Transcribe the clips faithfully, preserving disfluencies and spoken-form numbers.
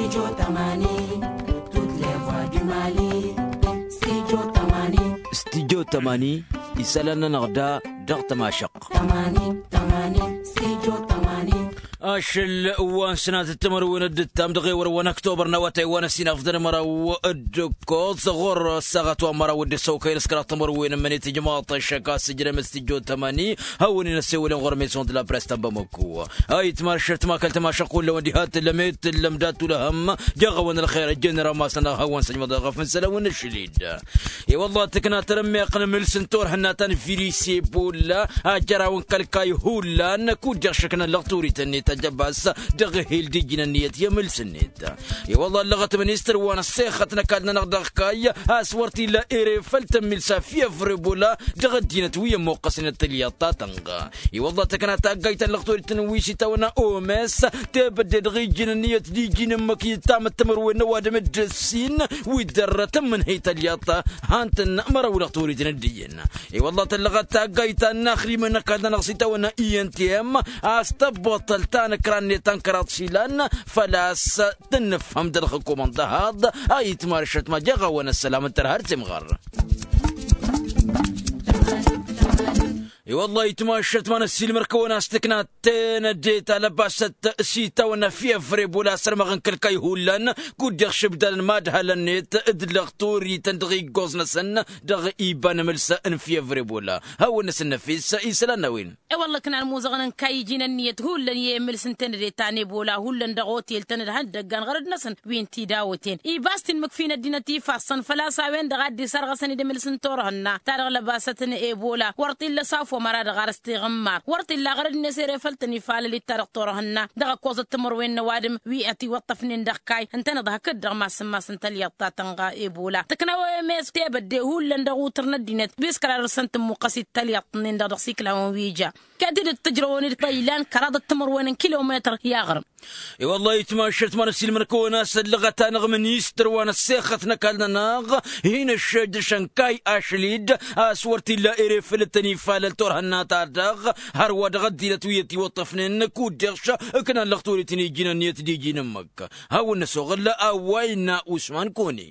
Studio tămani. Studio tămani. Isălan-nănăɣ da dăɣ-tămašăɣt. Ašăl wa n-sănatăt timărwen d-ǝttam dăɣ-ewăr wa n-ăktobăr n-awătay wa n-ăssin afḍăn măraw d-ǝkkoẓ ɣur-ăssaɣăt wa n-măraw dd-ăssăwkăyăn s-kăraḍ timărwen n-mănit ijmaḍ ăššăk a-s ǝjrăm studio tămani. Hawăn-in-ăssewălăn ɣur-maison de la presse ta n-bamăko. Ayǝtma ăššăt ma kăl-tămašăɣt hullan wa n-diha t-tǝllăm i-tǝllăm dat-tulăhăm. Jaɣ-awăn ălxer ăjjănăr amasăn a hawăn-săjmăḍ ăɣăf n-isălan wa n-ašăl-dd. I-wălla tǝkna tărămmeɣt n-amǝls n-turhǝnna ta n-virus ebola a jăraw n-kăl-kayy hullan kud-dăɣ šăknăn lăɣturit-net ăjăbas dăɣ-ehel d-ijjǝn ǝnniyăt i-amǝls-net. I-wălla ăllăɣăt ministăr wa n-ăssexăt n-ăkall-nănăɣ dăɣ-kayy a-s wăr t-illa ere făll-tămmǝl s-afyăvr ebola dăɣ-ăddinăt wi ămmuqqăsnen tălyaḍt ta tănɣa. I-wălla tǝkna taggayt ta n-lăɣturit n-wi s-itawănna oms tebădde dăɣ-ijjǝn ǝnniyăt d-iji n-ǝmmǝk i-tamăt timǝrwen n-ăwadǝm d-ǝssin wi dd-ărrătăn mǝnhăy tălyaḍt. Han-tăn măraw lăɣturit n-dd-iyyăn. I-wălla tăllăɣăt taggayt ta n-inaxrimăn n-ăkall-nănăɣ s-itawănna i n t m a-s tăbbăṭṭăl ta n-ǝkra-net ta n-kăraḍ išilan făl-a-s tǝnnǝfhăm dăɣ-ălxǝkum n-dăhaḍ. A itmarăšăt ma jaɣ-awăn ăssălam n-tărha d-timɣăr. I-wălla itmašăt ma n-ăssiilmăr-kăwăn a-s tǝkna tenăde ta lăbasăt s-itawănna fievrebo la sărmăɣ n-kăl-kăy hullan kud-deɣ šǝbdalăn madhălăn-net d-lăɣtorităn dăɣ-iggoẓ-năsăn dăɣ-iba n-amǝls n-fievrebo la hawăn-năsăn năfis isălan n-a-wen. E-wălla ǝknan muzăɣăn n-kayy iji n-ǝnniyăt hullan i-emǝls n-tenăde ta n-ebola hullan dăɣ-otel-tăn d-ihăndăggan ɣărăd-năsăn wi n-tidawăten ibas tinmǝkfi n-ăddinăt ifassăn făl-a-s a-wen-dăɣ a dd-isărɣăsăn d-emǝls n-turhǝnna ta dăɣ-lăbasăt n-ebola wăr t-illa s-afwămăra dăɣ-arǝs tiɣǝmmar wăr t-illa ɣărăd-net ere făll-tăn-ifalăl-dd ta dăɣ-turhǝnna dăɣ-ăkkoẓăt timărwen n-ăwadǝm wi ătiwăṭṭăfnen dăɣ-kayy ǝntăneḍ hakd-dăɣ mass n-mass n-tălyaḍt ta tănɣa ebola tǝknawăyăm i-s tebădde hullan dăɣ-utǝr n-ăddinăt wi s-kăla dăr-săn tǝmmuqqăs-dd tălyaḍt-nin-dăɣ dăɣ-s iklawăn wi ja. Kăt-dd ǝttǝjrăwăn-dd iḍăylan kăraḍăt timărwen n-kilometăr i-aɣrǝm. I-wăllah itmašăt ma n-ăssiilmăn-kăwăn a-s ăllăɣăt-anăɣ ministăr wa n-ăssexăt n-ăkall-nănăɣ hin-ăššăjjăšăn kayy ašăl-dd a-s wăr t-illa ere făll-tăn-ifalăl turhǝnna-ta-dăɣ hărwa dăɣ-ăddinăt wi ătiwăṭṭăfnen kud-dăɣ-š ǝknan lăɣturit n-iji n-ǝnniyăt d-iji n-ǝmmǝk. Hawăn-năsoɣǝl a-wa innă usman kone.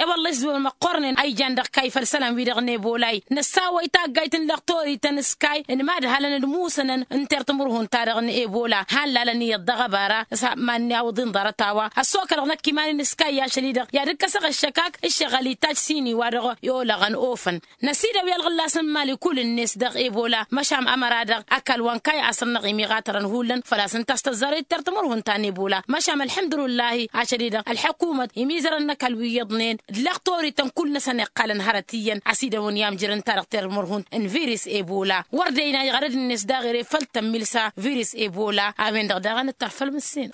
E-wălla isǝwăn măqqornen a ijan dăɣ-kayy făll-isălan-wi-dăɣ n-ebolay năssawăy taggayt n-lăɣtorităn s-kayy n-imadhalăn d-imusănăn n-tertǝmǝrhun-ta-dăɣ n-ebola hallalăn iyyăḍ dăɣ-ăbara s-ha-mannǝy awǝḍin ḍarăt a-wa ăssokălăɣ năkk iman-in s-kayy ašăl-i-dăɣ i-ad-ǝkkăsăɣ ăššăkak ǝššăɣǝl itajj s-ini wa dăɣ-i olăɣăn ofăn. Năsidăw i-ălɣǝllas n-imali kull-net dăɣ-ebola măšan ămăra-dăɣ ăkall wa n-kayy a săr-năɣ imiɣatărăn hullan făl-a-s ǝnta a-s tăzzarăy d-tertǝmǝrhun ta n-ebola măšan ălḥămdulǝllahi ašăl-i-dăɣ ălḥăkumăt imizărăn n-ăkall wi iyyăḍnen d-lăɣtorităn kull-năsăn iqqalăn hărăt iyyăn ăsidăwăn i-amjăr ǝnta-dăɣ termărhun n-virus ebola wăr dăyna iɣărăd-net daɣ ere făll-tămmilsa virus ebola a-wen-dăɣ daɣ a nǝttăr făll-mǝssin.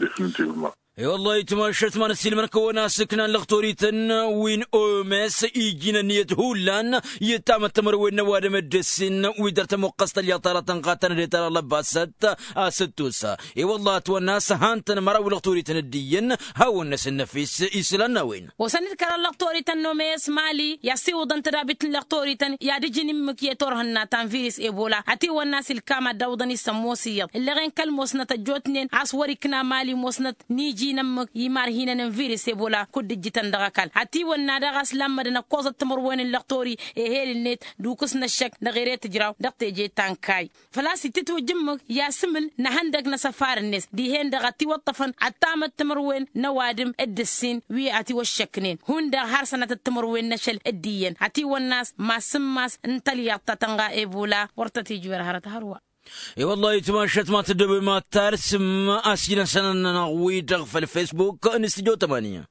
I-wăllah itmašăt ma n-ăssiilmăn-kăwăn a-s ǝknan lăɣtorităn wi n-oms iji n-ǝnniyăt hullan i-ăttamăt timărwen n-ăwadǝm d-ǝssin wi dăr-tămuqqăs tălyaḍt ta dăɣ-tănɣa tăn-ădetăr ălăbbasăt a-s ǝttus. I-wăllah ătwănna a-s han-tăn măraw lăɣtorităn dd-iyyăn hawăn-năsăn năfis isălan n-a-wen. Osăn-dd kăraḍ lăɣtorităn n-oms mali i-ad-siwǝḍăn tădabit n-lăɣtorităn i-ad-ǝjǝn immǝk i-turhǝnna ta n-virus ebola ătiwănna a-s ilkam ad-dd-awǝḍăn isămmos iyyăḍ ǝlleɣen kăl-mosnăt ăjjootnen a-s wăr-ikna mali mosnăt n-iji n-ǝmmǝk i-imarhinăn n-virus ebola kud-ǝjjǝtăn dăɣ-ăkall ătiwănna daɣ a-s lammădăn ăkkoẓăt timǝrwen n-lăɣtori ehel-net d-ukǝs n-ăššăk dăɣ-ere tǝjraw dăɣ-teje ta n-kayy. Făl-a-s itǝtwǝjj ǝmmǝk i-asǝmǝl n-ehăndăg n-asăfar-net dihen-dăɣ ătiwăṭṭăfăn ăttamăt timǝrwen n-ăwadǝm d-ǝssin wi ătiwăššăknen hundăɣ har sănatăt timǝrwen n-ašăl d-iyyăn ătiwănna a-s mass n-mass n-tălyaḍt ta tănɣa ebola wăr tăt-ijwer hărăt hărwa. I-wăllah itmašăt ma tăddăbem ad-tarsǝm a-s ijnăsăn-nănăɣ-wi-dăɣ făll-facebook n-studio tămani.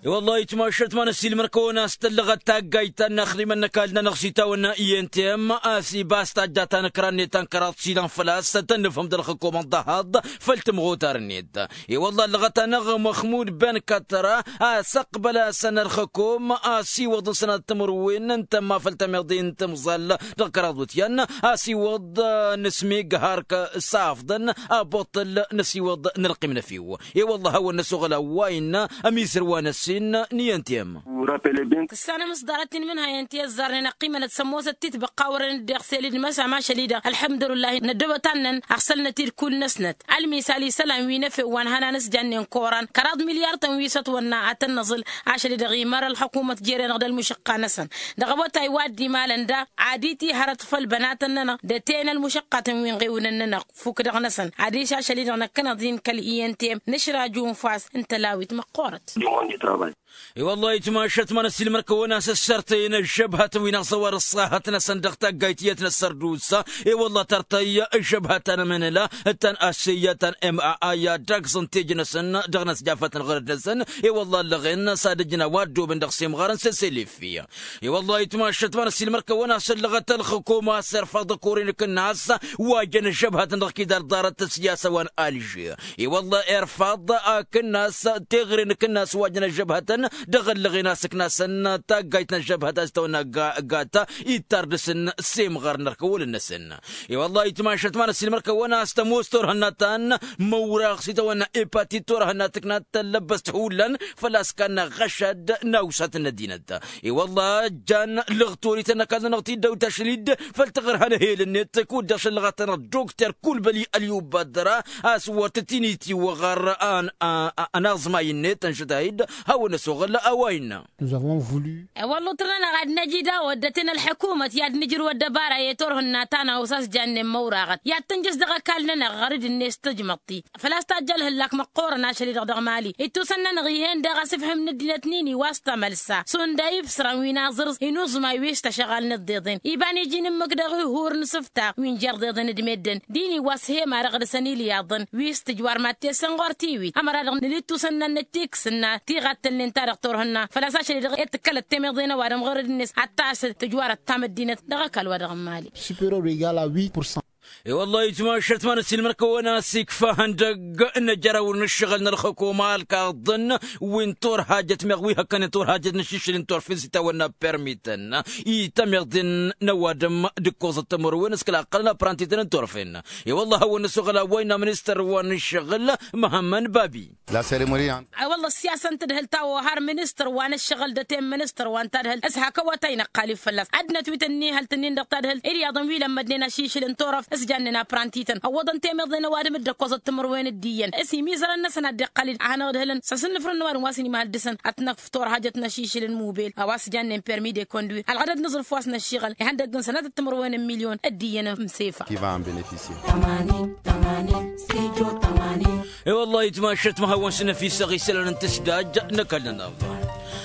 I-wăllah itmašăt ma n-ăssiilmăr-kăwăn a-s tăllăɣăt taggayt ta n-inaxdimăn n-ăkall-nănăɣ s-itawănna i n t m a-s ibas tajja ta n-ǝkra-net ta n-kăraḍ s-ilan făl-a-s tăn-nǝfhǝm d-ălxǝkum n-dăhaḍ făll-tǝmɣutar-net. I-wăllah ăllăɣăt-anăɣ măxmud ben kătra a-s ăqbăl-asăn ălxǝkum a-s iwăḍ n-sănat timǝrwen n-tămma făll-tămiḍe n-timẓal dăɣ-kăraḍ wǝtyan a-s iwăḍ n-asmig hark s-afḍăn aboṭṭăl n-asiwăḍ n-ălqim n-efew. I-wăllah a hawăn-năsoɣăl a-wa innă ămizăr wa n-ăssin. n-iyyăn tiyăm. Tǝssanăm s-ḍarăt-in mǝnhăyăn ti ăzzarnen ăqqimănăt s-ămoosăt titbăqqa wărăn dd-iɣselid măsam ašăl-i-dăɣ ălḥămdulǝllah. Năddăbăt annăn ăɣsălnăt-dd kull-năsnăt ălmisal isălan wi n-efew wa n-hănan s-jannen koran kăraḍ milyar-tăn wi s-ătwănna ad-tăn-năẓǝl. Ašăl-i-dăɣ imăra ălxukumăt jere-năɣ d-ălmušăqqa-năsăn dăɣ-awătay wa dd-imalăn da ad-itihărăt făll-bănatăn-nănăɣ d-ăteyăn ălmušăqqatăn wi n-iɣewǝnăn-nănăɣ. Fukk dăɣ-năsăn adiš ašăl-i-dăɣ năkkăneḍ-in kăl-iyyăn tiyăm nǝšraj unfas n-tălawit măqqoorăt. I-wălla itmašăt ma n-ăssiilmăr-kăwăn-as ăssărtăyăn ăžžăbhătăn wi n-aẓăwar ăṣṣahăt-năsăn dăɣ-taggayt iyyăt n-ăssărdusa. I-wălla tărtăy ăžžăbhăt ta n-emănăla ta n-asseya ta n-ema i-ad-dagẓăn tejăn-năsăn dăɣ-inăsjafătăn ɣărăd-năsăn. I-wălla ăllăɣen s-ad-ǝjna wa ăddoobăn dăɣ-semɣarăn s-eselefi. I-wălla itmašăt ma n-ăssiilmăr-kăwăn-as ăllăɣăt ălxǝkum a-s irfaḍ ăkoren akǝnnas wa jăn ăžžăbhătăn dăɣ-kidar ḍarăt ăssiyasa wa n-alže. I-wălla irfaḍ akǝnnas teɣăre n-akǝnnas wa jăn ăžžăbhătăn dăɣ-ăllăɣen a-s ǝknasăn taggayt n-ăžžăbhăt a-s tăwănna gata ittar dăɣ-săn semɣar n-ărkăwălăn-năsăn. I-wălla itmašăt ma n-ăssiilmăr-kăwăn-as tămoos turhǝnna ta n-măwraɣ s-itawănna epatit turhǝnna tǝknat tăllăbbăst hullan făl-a-s kannăɣ ɣăšad n-awsat n-ăddinăt. I-wălla jan lăɣtorităn ăkall-nănăɣ ti dd-ăwt ašăl-i-dd făl tăɣrǝhăn ehel-net kud-dăɣ šăllăɣăt-tănăɣ dokter kulbăli ălyubadăra a-s wăr tăt-initiwăɣ ănaẓmay-net ănšăt a-hi-dd hawăn-ăsoɣăl a-wa innă. I-wălla utrăn-anăɣ ad-năj idawăt d-ăten ălḥăkumăt i-ad-nǝjrǝw ăddăbara i-turhǝnna ta n-awǝsas jannen măwraɣăt i-ad-tǝnjăš dăɣ-ăkall-nănăɣ ɣărǝd-net tǝjmăḍ-t-i făl-a-s tajj ălhǝllak măqqoorăn ašăl-i-dăɣ dăɣ-mali. Ittusăn-nănăɣ ih'-en daɣ asǝfhǝm n-ăddinăt n-ini wa s-tamălsa šund a ibsărăn wi n-aẓrǝẓ inuẓmay wi s-tašăɣal n-iḍeḍen iba n-iji n-ǝmmǝk dăɣ-ihur n-isǝftaɣ wi n-jerḍeḍen d-meddǝn d-ini wa s-he-marăɣ dăɣ-săn ilyaḍăn wi s-tǝjwar mad-tesen ɣur-tiwit ămăra-dăɣ nǝla ittusăn-nănăt tiksǝnna ti ɣad-tălnen ta dăɣ-turhǝnna făl-a-s ašăl-i-dăɣ i-tǝkkălăt temeḍe n-ăwadǝm ɣur-dd-net ad-tašăl tǝjwarăt tamăddinăt dăɣ-ăkall-wa-dăɣ n-mali. Superior egal a huit pour cent. I-wălla-hi itmašăt ma n-ăssiilmăr kăwăn-as ikfa ihăndăgg n-ajăraw n-ǝššăɣǝl n-ălxǝkum alkaḍăn wi n-turhajăt meɣ wi hăkkănen turhajăt n-ašišǝl n-turfen s-itawănna permităn i-tămeḍe n-ăwadǝm d-ǝkkoẓăt timǝrwen s-kăla ăqqălăn aprantităn n-turfen. I-wălla-hi hawăn-năsoɣăl a-wa innă ministăr wa n-ǝššăɣǝl măhămmăn babi. La seremoni. Ay wălla ăssiyasăn tadhǝlt ta ohar ministăr wa n-ǝššăɣǝl d-ătayăn ministăr wa n-tadhǝlt s-hak awătay năqqalib fălla-s ăddinăt wi tăn-inihăl tǝnnin dăɣ-tadhǝlt ilyaḍăn wi lămmădnen ašishǝl n-turăft s-jannen aprantităn ăwwăḍăn temeḍe n-ăwadǝm dd-ăkkoẓăt timǝrwen d-iyyăn s-imizărăn-năsăn ad-dd-iqqăl-dd ad-hanăɣ-ǝdhǝlăn s-asǝnnǝfrǝn n-ăwadǝm wa s-inimahăl dăɣ-săn ad-t-năkf turhajăt n-ašišǝl n-mubil a-wa s-jannen permi de conduir ălɣădăd n-aẓrǝf wa s-năššiɣăl ihăndăgg n-sănatăt timǝrwen n-milyon d-iyyăn n-sefa. I-wălla-hi itmašăt ma hawăn-sǝnnăfisăɣ isălan n-tǝsdaj n-ăkall-nănăɣ.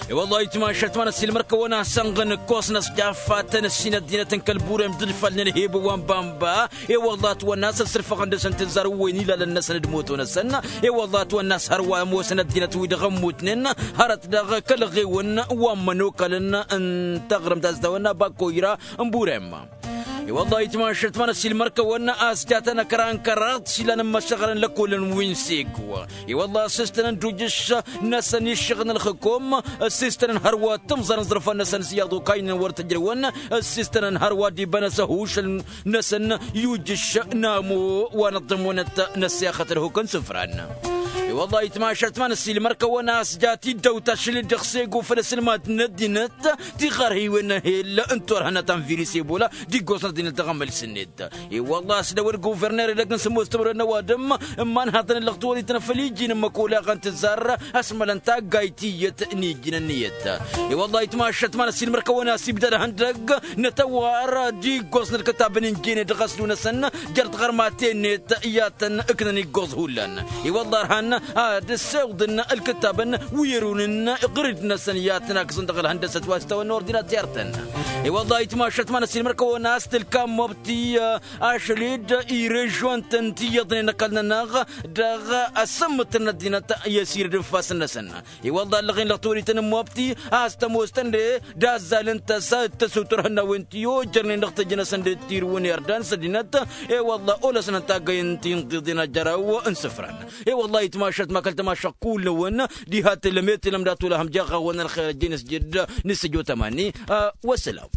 I-wălla-hi itmašăt ma n-ăssiilmăr-kăwăn-asănɣăn ǝkkoẓ n-ăsjaffatăn ǝssin ăddinăt n-kăl-burem d-ǝdfalnen hibǝw wa n-bamba. I-wălla ătwănna a-s ăssărfăɣăn dăɣ-săn tǝzzar wi n-ilalăn-năsăn d-moto-năsăn. I-wălla ătwănna a-s hărwa ămoosăn ăddinăt-wi-dăɣ ămmutnen hărăt dăɣ-kăl-ăɣewăn wa n-imănokalăn n-taɣrǝmt a-s tawănna bakoyra n-burem. I-wălla-hi itmašăt ma n-ăssiilmăr-kăwăn a-s jatăn ăkra n-kăraḍ s-ilan n-imăšăɣălăn lăkolăn wi n-sego. I-wălla-hi a-s s-tăn-ăndujǝš-năsăn iššăɣǝl n-ălxǝkom s-istăn hărwa tǝmẓăr n-iẓrǝfan-năsăn s-iyyăḍ okaynen wăr tǝjrǝwăn s-istăn hărwa d-iba n-asăhušăl-năsăn i-ujǝš n-amo wa n-ăḍḍămonăt n-ăssexăt ălhukăn sǝfran. I-wălla-hi itmašăt ma n-ăssiilmăr-kăwăn a-s jat-dd ăwt ašăl-i dăɣ-sego făll-asǝlmad n-ăddinăt tiɣărhiwen n-ehel n-turhănăt anviris ebola d-iggosăn ăddinăt dăɣ-amăls-net. I-wălla-hi a-s dăwăl guverner edăgg n-sǝmmos timǝrwen n-ăwadǝm n-imanhaḍăn ǝllăɣ tiwăḍităn făll-iji n-ǝmmăk oleɣăn tǝzzar ăsmălăn taggayt tiyyăt n-ijjǝn ǝnniyăt. I-wălla-hi itmašăt ma n-ăssiilmăr-kăwăn a-s ibdăd ihăndăgg n-atăwar d-iggoẓ n-ǝlkǝtabăn n-jene dăɣ-aslu-năsăn jer-tiɣărmaten-net i-ad-tăn ǝknăn iggoẓ hullan. I-wălla-hi ărhan ad-ǝssewḍăn ǝlkǝtabăn wi ărun n-iɣrǝd-năsăn i-ad-tăn-akǝẓăn dăɣ-ălhăndăsăt wa s-tawănna ordinater-tăn. I-wălla-hi itmašăt ma n-ăssiilmăr-kăwăn a-s tǝlka n-mobti ašăl-dd i-režion-tăn ti iyyăḍnen ăkall-nănăɣ dăɣ-asǝmmǝt n-ăddinăt i-asirǝd n-ifassăn-năsăn. I-wălla-hi ăllăɣen dăɣ-tawărit n-mobti a-s tămoos tăn-de d-azzal n-tăsa d-tăsutăr hănnawen ti ojărnen dăɣ-tejăn-năsăn d-tirǝwăn irdan s-ăddinăt. I-wălla-hi olăsnăn taggăyăn ti n-tiḍen ajăraw n-isǝfran. I-wălla-hi itmašăt ma kăl-tamašăɣt kull-năwăn diha tǝllăm i-tǝllăm dat-wăla hăm jaɣ-awăn ălxer ăjjeen s-jed n-săjo tămani. Wăssălam.